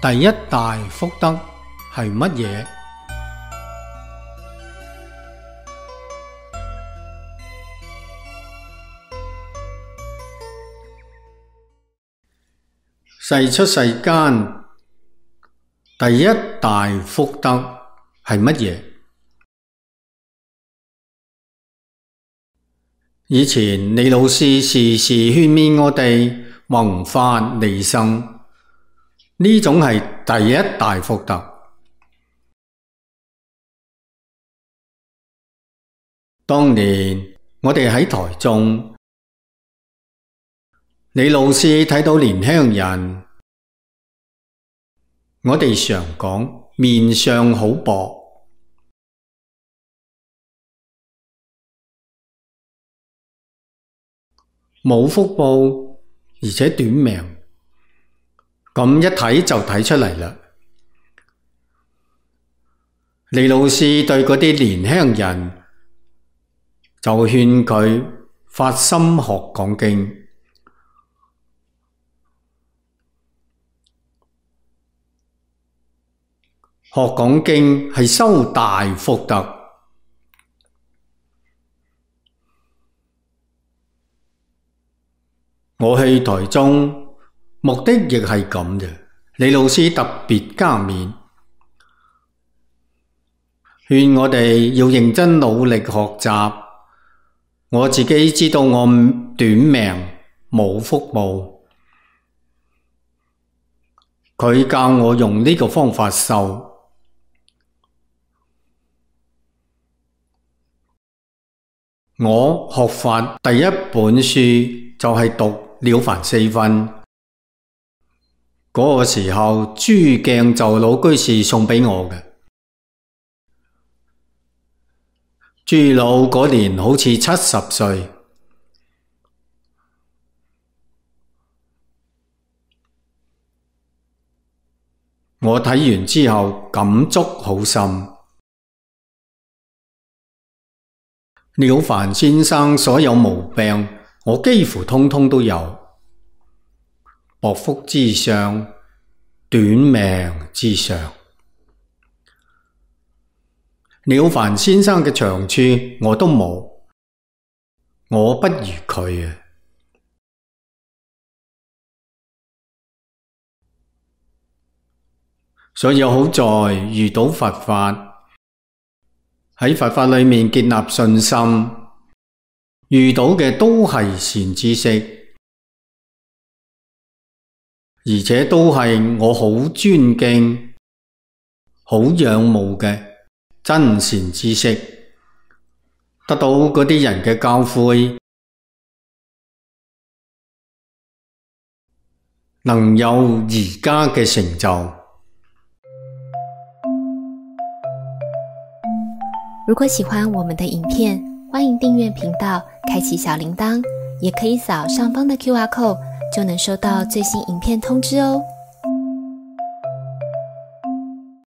第一大福德係乜嘢？世出世間第一大福德係乜嘢？以前李老師時時勸勉我哋弘法利生，呢種係第一大福德。當年我哋喺台中，李老師睇到年輕人，我哋常講面相好薄，冇福報，而且短命，咁一睇就睇出嚟啦。李老師對嗰啲年輕人就勸佢發心學講經。學講經係修大福德。我去台中目的亦係咁嘅，李老師特別加冕，勸我哋要認真努力學習。我自己知道我短命冇福報，佢教我用呢個方法修。我學法第一本書就係讀《了凡四訓》，嗰個時候朱鏡就老居士送畀我嘅。朱老嗰年好似70歲，我睇完之後感觸好深。了凡先生所有毛病，我幾乎通通都有。薄福之上，短命之上。了凡先生嘅長處我都冇，我不如佢啊。所以好在遇到佛法，喺佛法裏面建立信心，遇到嘅都係善知識，而且都係我好尊敬、好仰慕嘅真善知識，得到嗰啲人嘅教誨，能有而家嘅成就。如果喜歡我們的影片，歡迎訂閱頻道，開啟小鈴鐺，也可以掃上方的QR code，就能收到最新影片通知哦。